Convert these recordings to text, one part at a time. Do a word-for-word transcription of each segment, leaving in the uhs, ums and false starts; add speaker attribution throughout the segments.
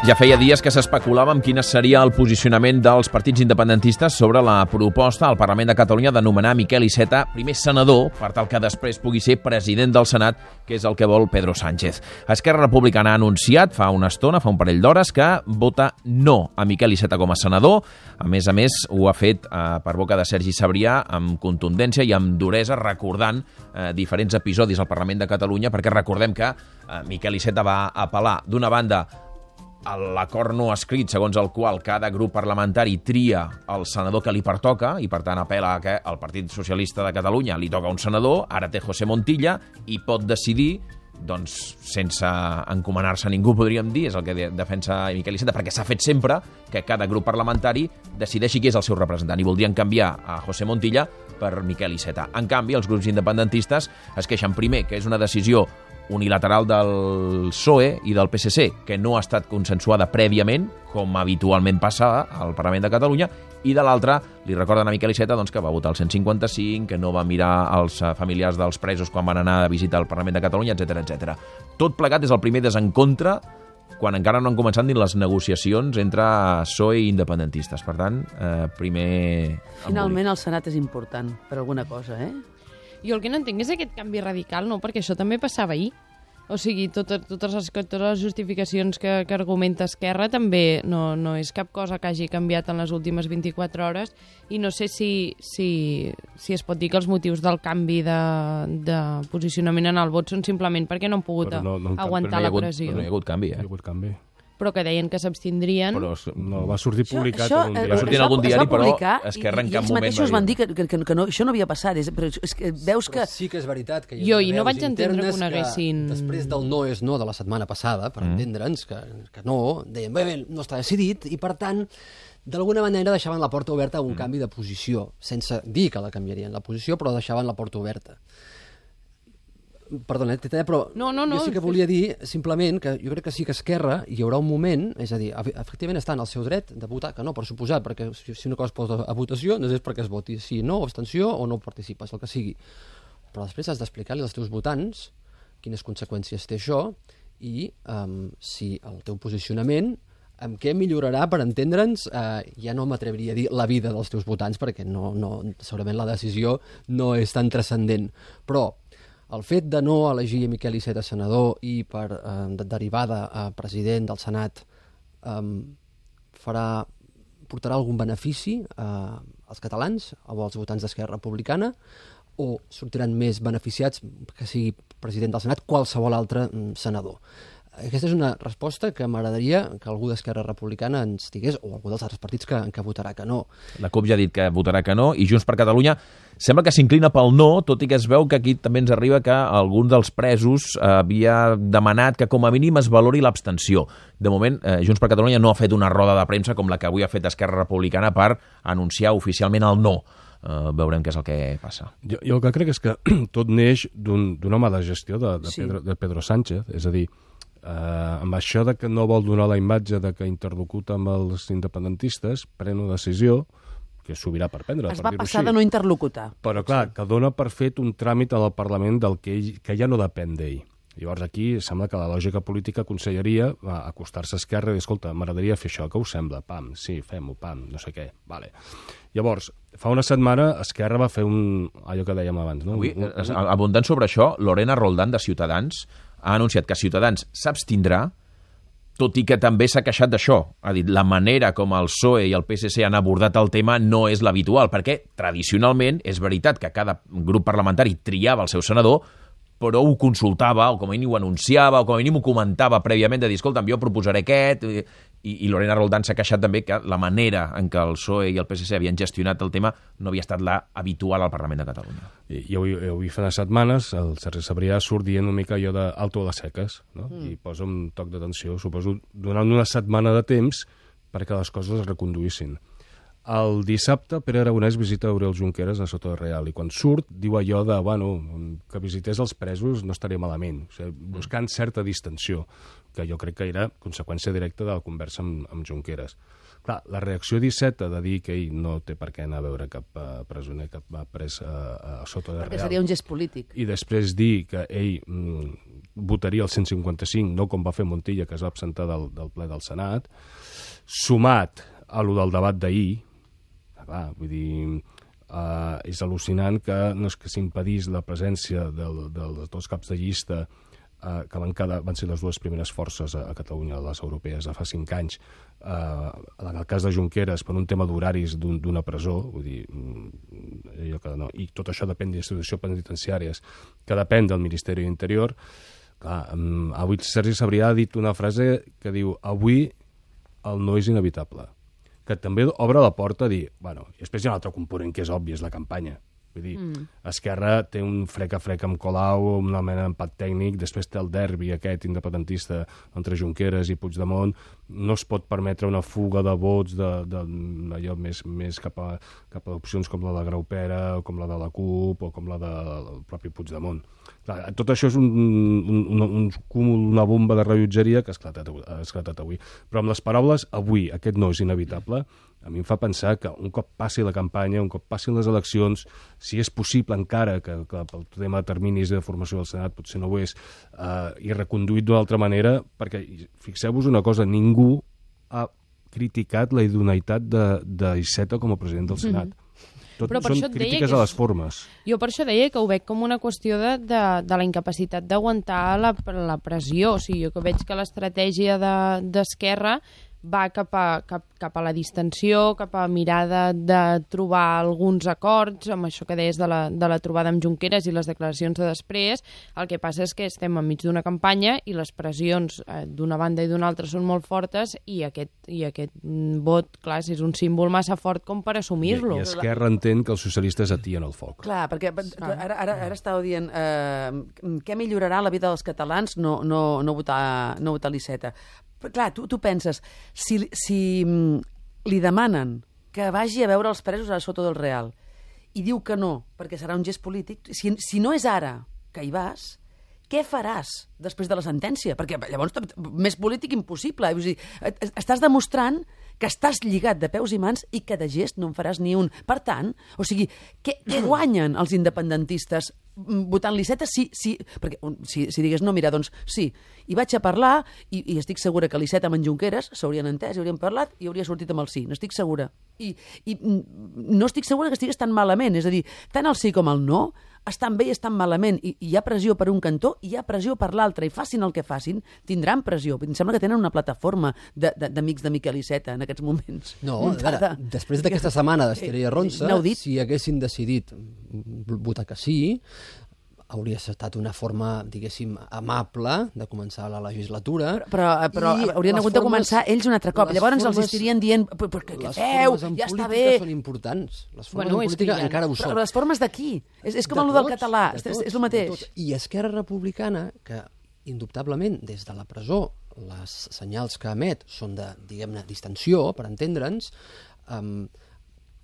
Speaker 1: Ja feia dies que s'especulava amb quin seria el posicionament dels partits independentistes sobre la proposta al Parlament de Catalunya de nomenar Miquel Iceta primer senador per tal que després pugui ser president del Senat, que és el que vol Pedro Sánchez. Esquerra Republicana ha anunciat fa una estona, fa un parell d'hores, que vota no a Miquel Iceta com a senador. A més a més, ho ha fet eh, per boca de Sergi Sabrià amb contundència i amb duresa, recordant eh, diferents episodis al Parlament de Catalunya, perquè recordem que eh, Miquel Iceta va apel·lar d'una banda l'acord no escrit segons el qual cada grup parlamentari tria el senador que li pertoca i, per tant, apel·la que al Partit Socialista de Catalunya li toca un senador, ara té José Montilla i pot decidir, doncs, sense encomanar-se a ningú, podríem dir, és el que defensa Miquel Iceta, perquè s'ha fet sempre que cada grup parlamentari decideixi qui és el seu representant i voldrien canviar a José Montilla per Miquel Iceta. En canvi, els grups independentistes es queixen primer que és una decisió unilateral del P S O E i del P S C, que no ha estat consensuada prèviament, com habitualment passa al Parlament de Catalunya, i de l'altra li recorden a Miquel Iceta doncs, que va votar el cent cinquanta cinc, que no va mirar els familiars dels presos quan van anar a visitar el Parlament de Catalunya, etcètera, etcètera. Tot plegat és el primer desencontre quan encara no han començat ni les negociacions entre P S O E i independentistes. Per tant, eh, primer...
Speaker 2: Finalment el Senat és important per alguna cosa, eh?
Speaker 3: Jo el que no entenc és aquest canvi radical, no? Perquè això també passava ahir. O sigui, totes, totes, les, totes les justificacions que, que argumenta Esquerra també no, no és cap cosa que hagi canviat en les últimes vint-i-quatre hores i no sé si, si, si es pot dir que els motius del canvi de, de posicionament en el vot són simplement perquè no han pogut no, no aguantar
Speaker 1: no
Speaker 3: la pressió.
Speaker 1: No hi ha hagut canvi, eh?
Speaker 4: No hi ha hagut canvi.
Speaker 3: Però que deien que s'abstindrien.
Speaker 4: Però no, va sortir publicat
Speaker 2: això,
Speaker 4: en un
Speaker 2: això,
Speaker 4: diari.
Speaker 1: Va sortir en algun diari, però Esquerra en cap moment va dir.
Speaker 2: I ells mateixos van dir que, que, que, que no, això no havia passat. És, però és que veus que...
Speaker 5: Però sí que és veritat que hi ha
Speaker 3: jo i no vaig entendre que ho neguessin.
Speaker 5: Que després del no és no de la setmana passada, per mm. entendre'ns, que, que no, deien, bé, bé, no està decidit, i per tant, d'alguna manera deixaven la porta oberta a un mm. canvi de posició, sense dir que la canviarien la posició, però deixaven la porta oberta. Perdona, Tita, però
Speaker 3: no, no, no,
Speaker 5: jo sí que volia dir simplement que jo crec que sí que Esquerra hi haurà un moment, és a dir, efectivament està en el seu dret de votar, que no, per suposat, perquè si una cosa es posa a votació no és perquè es voti sí, no, abstenció o no participes, el que sigui. Però després has d'explicar-li als teus votants quines conseqüències té això i um, si el teu posicionament amb què millorarà, per entendre'ns, eh, ja no m'atreviria a dir la vida dels teus votants, perquè no, no, segurament la decisió no és tan transcendent, però el fet de no elegir Miquel Iceta senador i per eh, de derivada a president del Senat eh, farà, portarà algun benefici eh, als catalans o als votants d'Esquerra Republicana o sortiran més beneficiats que sigui president del Senat qualsevol altre mm, senador? Aquesta és una resposta que m'agradaria que algú d'Esquerra Republicana ens digués, o algú dels altres partits que, que votarà que no.
Speaker 1: La CUP ja ha dit que votarà que no, i Junts per Catalunya sembla que s'inclina pel no, tot i que es veu que aquí també ens arriba que algun dels presos havia demanat que com a mínim es valori l'abstenció. De moment, eh, Junts per Catalunya no ha fet una roda de premsa com la que avui ha fet Esquerra Republicana per anunciar oficialment el no. Uh, veurem què és el que passa.
Speaker 4: Jo, jo el que crec és que tot neix d'una mala gestió de, de,
Speaker 2: sí.
Speaker 4: Pedro, de Pedro Sánchez, és a dir, Uh, amb això de que no vol donar la imatge de que interlocuta amb els independentistes, pren una decisió que és sobirà per prendre.
Speaker 2: Es
Speaker 4: per
Speaker 2: va passar
Speaker 4: així.
Speaker 2: de no interlocutar.
Speaker 4: Però clar, sí. que dona per fet un tràmit al Parlament del que, ell, que ja no depèn d'ell. Llavors aquí sembla que la lògica política aconsellaria acostar-se a Esquerra i dir, escolta, m'agradaria fer això, què us sembla? Pam, sí, fem-ho, pam, no sé què. Vale. Llavors, fa una setmana Esquerra va fer un... allò que dèiem abans, no?
Speaker 1: Avui,
Speaker 4: un, un...
Speaker 1: abundant sobre això, Lorena Roldán de Ciutadans ha anunciat que Ciutadans s'abstindrà, tot i que també s'ha queixat d'això. Ha dit, la manera com el P S O E i el P S C han abordat el tema no és l'habitual, perquè tradicionalment és veritat que cada grup parlamentari triava el seu senador, però ho consultava, o com a mínim ho anunciava, o com a mínim ho comentava prèviament, de dir, escolta'm, jo proposaré aquest, i, i Lorena Roldán s'ha queixat també que la manera en què el P S O E i el P S C havien gestionat el tema no havia estat la habitual al Parlament de Catalunya.
Speaker 4: I, i avui, avui fa unes setmanes el Sergi Sabrià surt dient una mica allò d'alto de seques, no? Mm. I posa un toc d'atenció, suposo, donant una setmana de temps perquè les coses es reconduïssin. El dissabte, Pere Aragonès visita Oriol Junqueras a Soto de Real i quan surt diu allò de, bueno, que visités els presos no estaria malament, o sigui, buscant certa distensió, que jo crec que era conseqüència directa de la conversa amb, amb Junqueras. Clar, la reacció d'Iceta de dir que ell no té per què anar a veure cap uh, presoner que va pres uh, a Soto de Real...
Speaker 2: Perquè seria un gest polític.
Speaker 4: I després dir que ell mm, votaria el cent cinquanta-cinc, no com va fer Montilla, que es va absentar del, del ple del Senat, sumat a lo del debat d'ahir, clar, vull dir, uh, és al·lucinant que no és que s'impedís la presència del, dels dos caps de llista uh, que van, cada, van ser les dues primeres forces a, a Catalunya, les europees, de fa cinc anys, uh, en el cas de Junqueras, per un tema d'horaris d'una un, presó, vull dir, allò que no, i tot això depèn d'institucions penitenciàries, que depèn del Ministeri de l'Interior. Clar, um, avui Sergi Sabrià ha dit una frase que diu: avui el no és inevitable, que també obre la porta a dir, bueno, i després hi ha un altre component que és obvi, és la campanya. Vull dir, mm. Esquerra té un frec-a-frec amb Colau, una mena d'empat tècnic, després té el derbi aquest independentista entre Junqueras i Puigdemont, no es pot permetre una fuga de vots de, de, allò més, més cap, a, cap a opcions com la de Graupera, o com la de la CUP, o com la del propi Puigdemont. Clar, tot això és un, un, un, un cúmul, una bomba de rellotgeria que ha esclatat, ha esclatat avui. Però amb les paraules, avui, aquest no és inevitable, a mi em fa pensar que un cop passi la campanya, un cop passin les eleccions, si és possible encara, que, que pel tema de terminis de formació del Senat potser no ho és, eh, i reconduït d'una altra manera, perquè fixeu-vos una cosa, ningú ha criticat la idoneïtat d'Iceta com a president del Senat. Mm-hmm. Tot
Speaker 3: però per
Speaker 4: són
Speaker 3: això et deia
Speaker 4: crítiques
Speaker 3: que
Speaker 4: a
Speaker 3: és...
Speaker 4: les formes.
Speaker 3: Jo per això deia que ho veig com una qüestió de, de, de la incapacitat d'aguantar la, la pressió. O sigui, jo que veig que l'estratègia d'Esquerra de, va cap a, cap, cap a la distensió, cap a mirada de trobar alguns acords, amb això que deies de la, de la trobada amb Junqueras i les declaracions de després. El que passa és que estem enmig d'una campanya i les pressions eh, d'una banda i d'una altra són molt fortes i aquest, i aquest vot, clar, és un símbol massa fort com per assumir-lo.
Speaker 4: I, I Esquerra entén que els socialistes atien el foc.
Speaker 2: Clar, perquè ara, ara, ara estàveu dient eh, què millorarà la vida dels catalans no, no, no votar, no votar l'Iceta. Clar, tu, tu penses, si, si li demanen que vagi a veure els presos a Soto del Real i diu que no, perquè serà un gest polític, si, si no és ara que hi vas, què faràs després de la sentència? Perquè llavors més polític impossible. Vull dir, estàs demostrant que estàs lligat de peus i mans i que de gest no en faràs ni un. Per tant, o sigui, què, què guanyen els independentistes votant l'Iceta? Si, si, perquè si, si digués, no, mira, doncs sí, hi vaig a parlar i, i estic segura que l'Iceta amb en Junqueras s'haurien entès, hi haurien parlat i hauria sortit amb el sí, n'estic segura. I, I no estic segura que estigués tan malament, és a dir, tant el sí com el no estan bé i estan malament, i, i hi ha pressió per un cantó i hi ha pressió per l'altre, i facin el que facin, tindran pressió. Em sembla que tenen una plataforma d'amics de, de Miquel Iceta en aquests moments.
Speaker 5: No, a veure, després d'aquesta setmana d'Esther i Arronsa, si haguessin decidit votar que sí, hauria estat una forma, diguéssim, amable de començar la legislatura.
Speaker 2: Però, però, però haurien hagut formes, de començar ells un altre cop. Llavors formes, els estirien dient, però què feu? Ja està bé.
Speaker 5: Les formes en política són importants. Les formes bueno, en política ha... encara ho són.
Speaker 2: Però les formes d'aquí. És, és com de el del català. De tots, és el mateix.
Speaker 5: I Esquerra Republicana, que indubtablement des de la presó les senyals que emet són de, diguem-ne, distensió, per entendre'ns, um,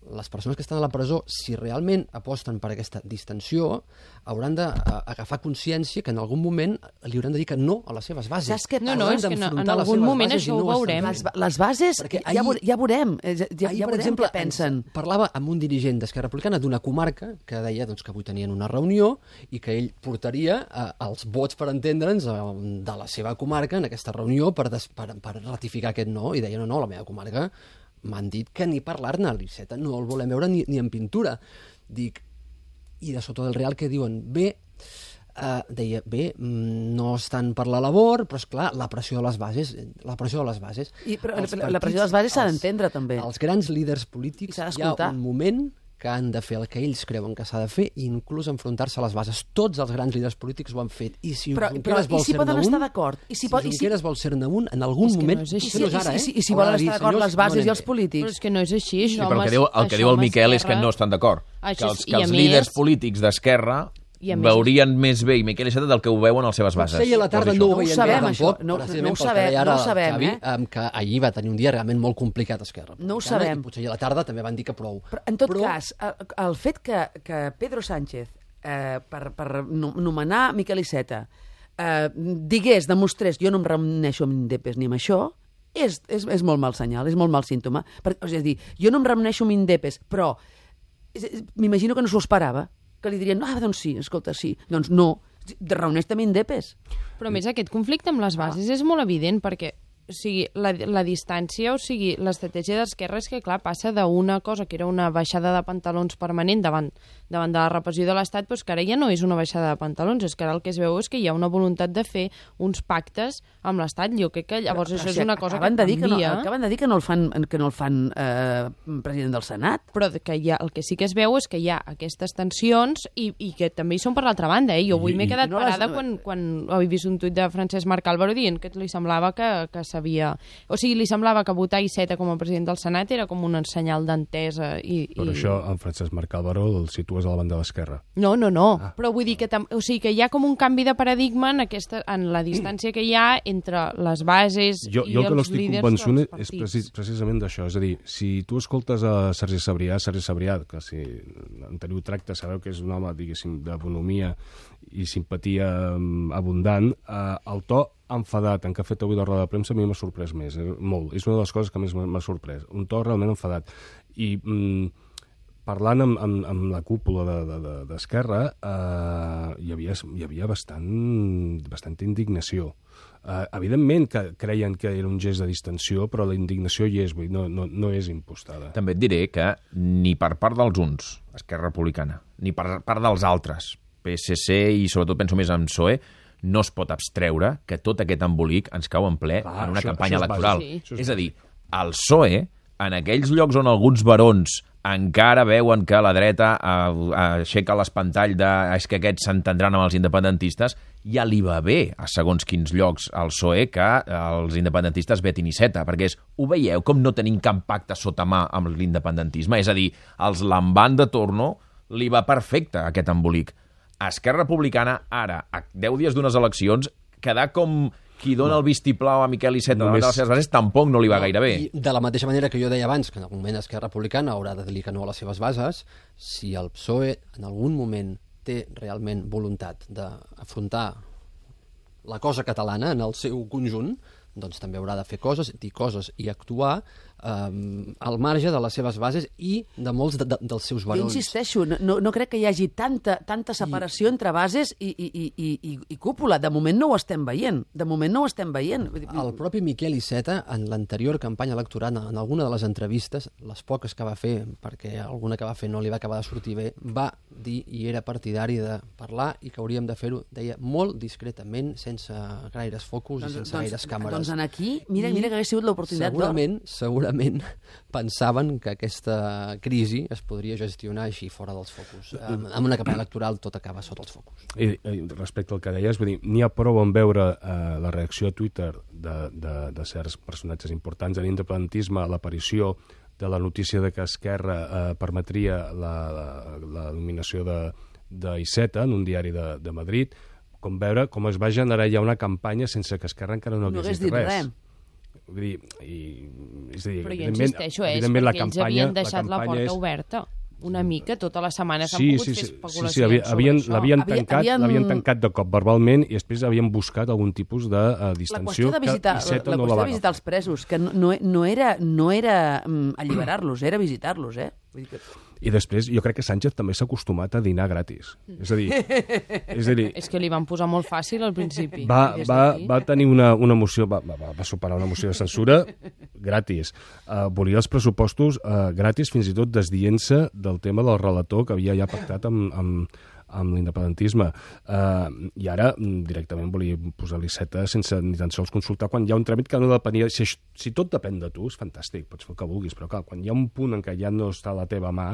Speaker 5: les persones que estan a la presó, si realment aposten per aquesta distensió, hauran d'agafar consciència que en algun moment li hauran de dir que no a les seves bases.
Speaker 2: Saps què
Speaker 3: no, no, és que no, en algun moment això ho veurem.
Speaker 2: Les, les bases, ja, ahir, ja veurem, ja, ja
Speaker 5: ahir,
Speaker 2: veurem
Speaker 5: exemple,
Speaker 2: què pensen.
Speaker 5: Parlava amb un dirigent d'Esquerra Republicana d'una comarca que deia doncs, que avui tenien una reunió i que ell portaria eh, els vots, per entendre'ns, eh, de la seva comarca en aquesta reunió per, des, per, per ratificar aquest no, i deia, no, no, la meva comarca m'han dit que ni parlar-ne, l'Iceta no el volem veure ni, ni en pintura. Dic, i de Soto del Real que diuen, bé, uh, deia, bé, no estan per la labor, però és clar, la pressió de les bases, la pressió de les bases.
Speaker 2: I, però, partits, la pressió de les bases s'ha d'entendre, també.
Speaker 5: Els grans líders polítics hi ha un moment que han de fer el que ells creuen que s'ha de fer i inclús enfrontar-se a les bases. Tots els grans líders polítics ho han fet. I si
Speaker 2: però, però,
Speaker 5: vol
Speaker 2: i si poden estar d'acord?
Speaker 5: I si, si Junqueras si... vol ser-ne un, en algun moment...
Speaker 3: No és
Speaker 5: així. No és ara, eh?
Speaker 2: I si, i si volen estar d'acord les bases no i els polítics?
Speaker 3: Però és que no és així.
Speaker 1: Sí, però el que diu el, que diu el Miquel és que no estan d'acord. Que els, que els líders polítics d'Esquerra veurien més bé i Miquel Iceta del que ho veuen a les seves bases.
Speaker 5: Potser a la tarda no ho veien
Speaker 2: bé,
Speaker 5: tampoc,
Speaker 2: no, no ho sabem, no ho sabem,
Speaker 5: Xavi,
Speaker 2: eh?
Speaker 5: que ahir va tenir un dia realment molt complicat Esquerra.
Speaker 2: No ho sabem.
Speaker 5: Potser a la tarda també van dir que prou.
Speaker 2: Però, en tot Però... cas, el fet que, que Pedro Sánchez, eh, per, per nomenar Miquel Iceta, eh, digués, demostrés, jo no em reuneixo amb Indepes ni amb això, és, és, és molt mal senyal, és molt mal símptoma. Per, és a dir, jo no em reuneixo amb Indepes, però m'imagino que no s'ho esperava, que li dirien, ah, doncs sí, escolta, sí. Doncs no, reuneix també indepes.
Speaker 3: Però a més aquest conflicte amb les bases és molt evident perquè o sigui, la, la distància, o sigui, l'estratègia d'Esquerra és que, clar, passa d'una cosa que era una baixada de pantalons permanent davant, davant de la repressió de l'Estat, doncs que ara ja no és una baixada de pantalons, és que ara el que es veu és que hi ha una voluntat de fer uns pactes amb l'Estat. Jo crec que llavors
Speaker 2: però,
Speaker 3: això
Speaker 2: si
Speaker 3: és una cosa
Speaker 2: que
Speaker 3: canvia.
Speaker 2: Que no, acaben de dir que no el fan, que no el fan eh, president del Senat.
Speaker 3: Però que hi ha, el que sí que es veu és que hi ha aquestes tensions i, i que també hi són per l'altra banda. Eh? Jo avui m'he quedat
Speaker 2: no
Speaker 3: parada
Speaker 2: les...
Speaker 3: quan, quan he vist un tuit de Francesc Marc Álvaro dient que li semblava que, que s'havia... O sigui, li semblava que votar Iceta com a president del Senat era com un senyal d'entesa. I,
Speaker 4: Per
Speaker 3: i...
Speaker 4: això, en Francesc Marc Álvaro el situes a la banda de l'esquerra.
Speaker 3: No, no, no.
Speaker 4: Ah.
Speaker 3: Però vull dir que, tam... o sigui, que hi ha com un canvi de paradigma en, aquesta, en la distància que hi ha entre les bases
Speaker 4: jo,
Speaker 3: i
Speaker 4: jo el que no
Speaker 3: els
Speaker 4: estic
Speaker 3: líders
Speaker 4: convençut
Speaker 3: dels
Speaker 4: és
Speaker 3: partits.
Speaker 4: precis, precisament d'això. És a dir, si tu escoltes a Sergi Sabrià, Sergi Sabrià, que si en teniu tracte sabeu que és un home, diguéssim, de bonomia i simpatia abundant, eh, el to enfadat en què ha fet avui la roda de premsa a mi m'ha sorprès més, eh, molt. És una de les coses que més m'ha sorprès. Un to realment enfadat. I mm, parlant amb, amb, amb la cúpula d'Esquerra, de, de, eh, hi havia, hi havia bastant, bastanta indignació. Eh, evidentment que creien que era un gest de distensió, però la indignació hi és, vull dir, no, no, no és impostada.
Speaker 1: També et diré que ni per part dels uns, Esquerra Republicana, ni per part dels altres, P S C i sobretot penso més en P S O E, no es pot abstreure que tot aquest embolic ens cau en ple
Speaker 4: Clar,
Speaker 1: en una
Speaker 4: això-
Speaker 1: campanya
Speaker 4: això és
Speaker 1: electoral.
Speaker 3: bàsic.
Speaker 4: Sí.
Speaker 1: És a dir, el P S O E, en aquells llocs on alguns barons encara veuen que la dreta eh, aixeca l'espantall de és que aquests s'entendran amb els independentistes, ja li va bé a segons quins llocs al P S O E que els independentistes vetin Iceta, perquè és, ho veieu com no tenim cap pacte sota mà amb l'independentisme? És a dir, els Lamban de Torno li va perfecte aquest embolic. Esquerra Republicana, ara, a deu dies d'unes eleccions, quedar com qui dona el vistiplau a Miquel Iceta davant
Speaker 4: Només-
Speaker 1: de les seves bases tampoc no li va gaire bé.
Speaker 5: I de la mateixa manera que jo deia abans, que en algun moment Esquerra Republicana haurà de dir que no a les seves bases, si el P S O E en algun moment té realment voluntat d'afrontar la cosa catalana en el seu conjunt, doncs també haurà de fer coses, dir coses i actuar eh, al marge de les seves bases i de molts de, de, dels seus
Speaker 2: Jo
Speaker 5: barons.
Speaker 2: insisteixo, no, no crec que hi hagi tanta, tanta separació I... entre bases i, i, i, i, i, i cúpula. De moment no ho estem veient. De moment no ho estem veient. Vull dir,
Speaker 5: El propi Miquel Iceta, en l'anterior campanya electoral, en alguna de les entrevistes, les poques que va fer, perquè alguna que va fer no li va acabar de sortir bé, va dir i era partidari de parlar i que hauríem de fer-ho, deia, molt discretament, sense gaires focus i sense gaires càmeres.
Speaker 2: Doncs en aquí, mira, mira que hagués sigut l'oportunitat d'or.
Speaker 5: Segurament, segurament pensaven que aquesta crisi es podria gestionar així, fora dels focus. En, en una campanya electoral tot acaba sota els focus.
Speaker 4: I, i respecte al que deies, vull dir, n'hi ha prou en veure eh, la reacció a Twitter de, de, de certs personatges importants en l'independentisme, l'aparició de la notícia de que Esquerra eh, permetria la, la, la nominació de, de Iceta en un diari de, de Madrid, com veure com es va generar ja una campanya sense que Esquerra encara no
Speaker 2: No
Speaker 4: hagués
Speaker 2: hagués
Speaker 4: dit
Speaker 2: dit
Speaker 4: res.
Speaker 2: res.
Speaker 4: Vull dir, i, és a dir,
Speaker 3: Però jo
Speaker 4: evidentment-
Speaker 3: insisteixo, eh, és
Speaker 4: evidentment la
Speaker 3: perquè ells
Speaker 4: campanya-
Speaker 3: havien deixat la,
Speaker 4: campanya
Speaker 3: porta
Speaker 4: és-
Speaker 3: oberta una mica, tota la setmana s'han
Speaker 4: Sí,
Speaker 3: pogut
Speaker 4: sí,
Speaker 3: fer
Speaker 4: sí, sí,
Speaker 3: especulacions
Speaker 4: sí, havia- havien,
Speaker 3: sobre això.
Speaker 4: l'havien
Speaker 2: Havia-
Speaker 4: tancat,
Speaker 2: havien-
Speaker 4: l'havien tancat de cop verbalment i després havien buscat algun tipus de uh,
Speaker 2: La
Speaker 4: distensió
Speaker 2: qüestió de visitar,
Speaker 4: que Iceta
Speaker 2: la
Speaker 4: no
Speaker 2: qüestió
Speaker 4: la va
Speaker 2: de visitar els presos, que no, no, no era, no era um, alliberar-los, era visitar-los, eh? Vull dir que...
Speaker 4: I després jo crec que Sánchez també s'ha acostumat a dinar gratis. És a dir, és a dir
Speaker 3: És que li van posar molt fàcil al principi.
Speaker 4: va,
Speaker 3: I des
Speaker 4: va,
Speaker 3: d'aquí-
Speaker 4: va tenir una, una moció, va, va, va superar una moció de censura gratis. Uh, volia els pressupostos uh, gratis, fins i tot desdient-se del tema del relator que havia ja pactat amb, amb, amb l'independentisme. Uh, I ara mm, directament volia posar l'Iceta sense ni tan sols consultar quan hi ha un tràmit que no depenia... Si, això- si tot depèn de tu, és fantàstic, pots fer el que vulguis, però clar, quan hi ha un punt en què ja no està a la teva mà,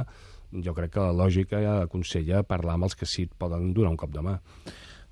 Speaker 4: jo crec que la lògica ja aconsella parlar amb els que sí et poden donar un cop de mà.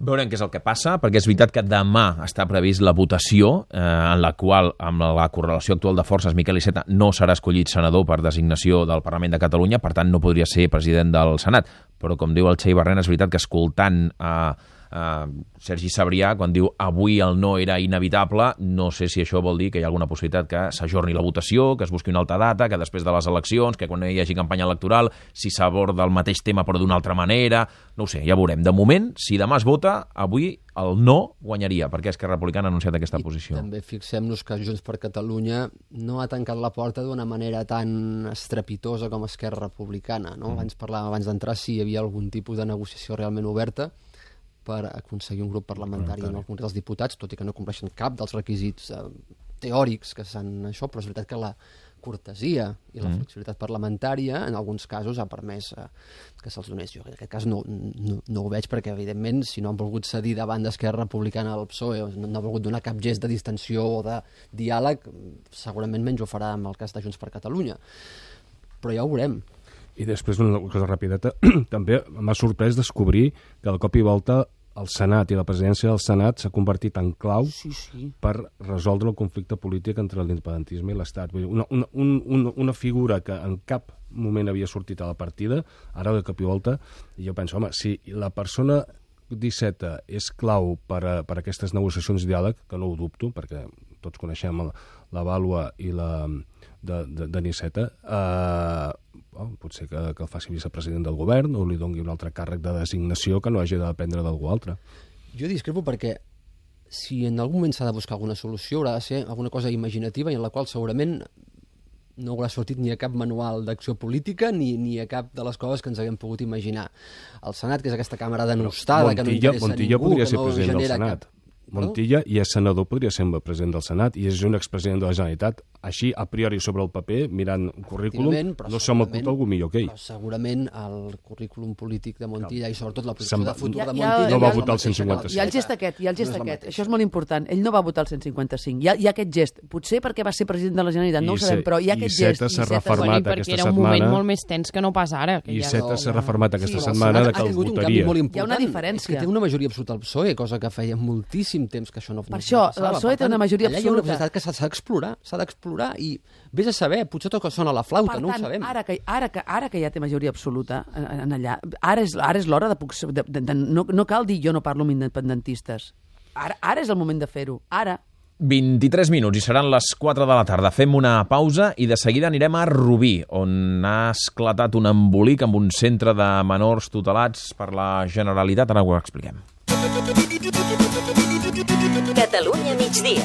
Speaker 1: Veurem què és el que passa, perquè és veritat que demà està previst la votació, eh, en la qual, amb la correlació actual de forces, Miquel Iceta no serà escollit senador per designació del Parlament de Catalunya, per tant no podria ser president del Senat. Però, com diu el Txell Barrena, és veritat que escoltant a eh, Uh, Sergi Sabrià, quan diu avui el no era inevitable, no sé si això vol dir que hi ha alguna possibilitat que s'ajorni la votació, que es busqui una altra data, que després de les eleccions, que quan hi hagi campanya electoral, si s'aborda el mateix tema però d'una altra manera, no ho sé, ja veurem. De moment, si demà es vota, avui el no guanyaria, perquè Esquerra Republicana ha anunciat aquesta
Speaker 5: I
Speaker 1: posició.
Speaker 5: també fixem-nos que Junts per Catalunya no ha tancat la porta d'una manera tan estrepitosa com Esquerra Republicana. No? Mm. Abans parlàvem, abans d'entrar, si hi havia algun tipus de negociació realment oberta, per aconseguir un grup parlamentari en el Congrés dels Diputats, tot i que no compleixen cap dels requisits eh, teòrics que s'han això, però és veritat que la cortesia i la flexibilitat parlamentària en alguns casos ha permès eh, que se'ls donés. Jo en aquest cas no, no, no ho veig perquè, evidentment, si no han volgut cedir davant d'Esquerra Republicana al P S O E o no, no ha volgut donar cap gest de distensió o de diàleg, segurament menys ho farà en el cas de Junts per Catalunya. Però ja ho veurem.
Speaker 4: I després, una cosa rapideta, també m'ha sorprès descobrir que de cop i volta el Senat i la presidència del Senat s'ha convertit en clau
Speaker 2: Sí, sí.
Speaker 4: per resoldre el conflicte polític entre l'independentisme i l'Estat. Una, una, una, una figura que en cap moment havia sortit a la partida, ara de cop i volta, i jo penso, home, si la persona disset és clau per a, per a aquestes negociacions de diàleg, que no ho dubto, perquè tots coneixem la, la vàlua i la de, de, de Niceta, eh, oh, potser que, que el faci vicepresident del govern o li doni un altre càrrec de designació que no hagi de dependre d'algú altre.
Speaker 5: Jo discrepo perquè si en algun moment s'ha de buscar alguna solució haurà de ser alguna cosa imaginativa i en la qual segurament no haurà sortit ni a cap manual d'acció política ni, ni a cap de les coses que ens haguem pogut imaginar. El Senat, que és aquesta càmera denostada,
Speaker 4: Montilla,
Speaker 5: que no interessa
Speaker 4: Montilla
Speaker 5: a ningú,
Speaker 4: podria
Speaker 5: que
Speaker 4: ser
Speaker 5: no
Speaker 4: president del
Speaker 5: genera
Speaker 4: Senat.
Speaker 5: cap...
Speaker 4: Montilla i és senador, podria ser president del Senat i és un expresident de la Generalitat. Així, a priori, sobre el paper, mirant el currículum, no se m'acut algú millor que ell.
Speaker 5: Però segurament el currículum polític de Montilla i sobretot la posició
Speaker 4: Se'n
Speaker 5: de futur
Speaker 2: Ja-
Speaker 5: de
Speaker 2: ja-
Speaker 5: Montilla...
Speaker 2: No
Speaker 4: va
Speaker 5: és la
Speaker 4: votar el
Speaker 5: mateixa
Speaker 4: cent cinquanta
Speaker 5: que
Speaker 2: Hi ha el
Speaker 5: la
Speaker 2: gest aquest, hi ha el gest
Speaker 5: No és la
Speaker 2: aquest.
Speaker 5: mateixa.
Speaker 2: Això és molt important. Ell no va votar el cent cinquanta-cinc. Hi ha, hi ha aquest gest. Potser perquè va ser president de la Generalitat, no ho sabem, però hi ha aquest gest.
Speaker 4: Iceta s'ha
Speaker 2: Iceta-
Speaker 4: reformat
Speaker 3: Bueno, i perquè
Speaker 4: aquesta
Speaker 3: era un moment
Speaker 4: setmana.
Speaker 3: molt més tens que no pas ara. Que
Speaker 4: I
Speaker 3: ja...
Speaker 4: Iceta s'ha
Speaker 5: no.
Speaker 4: reformat aquesta
Speaker 5: Sí, però el
Speaker 4: setmana
Speaker 5: Senat
Speaker 4: de que
Speaker 5: ha
Speaker 4: el
Speaker 5: tingut un canvi
Speaker 4: votaria.
Speaker 5: molt
Speaker 2: Hi ha
Speaker 5: important.
Speaker 2: una diferència.
Speaker 5: És que té una majoria absoluta al P S O E, cosa que feia moltíssim temps que això no,
Speaker 2: Per
Speaker 5: no
Speaker 2: això,
Speaker 5: no passava.
Speaker 2: el P S O E té
Speaker 5: Per tant,
Speaker 2: una majoria
Speaker 5: allà hi ha una
Speaker 2: absoluta.
Speaker 5: necessitat que s'ha s'ha d'explorar, s'ha d'explorar i vés a saber, potser tot que sona la flauta,
Speaker 2: Per
Speaker 5: no ho
Speaker 2: tant,
Speaker 5: sabem.
Speaker 2: ara que, ara, que, ara que ja té majoria absoluta en, en allà, ara és, ara és l'hora de, puc- de, de, de... No, no cal dir jo no parlo amb independentistes. Ara, ara és el moment de fer-ho. Ara.
Speaker 1: vint-i-tres minuts i seran les quatre de la tarda. Fem una pausa i de seguida anirem a Rubí, on ha esclatat un embolic amb un centre de menors tutelats per la Generalitat. Ara ho expliquem.
Speaker 6: Catalunya migdia.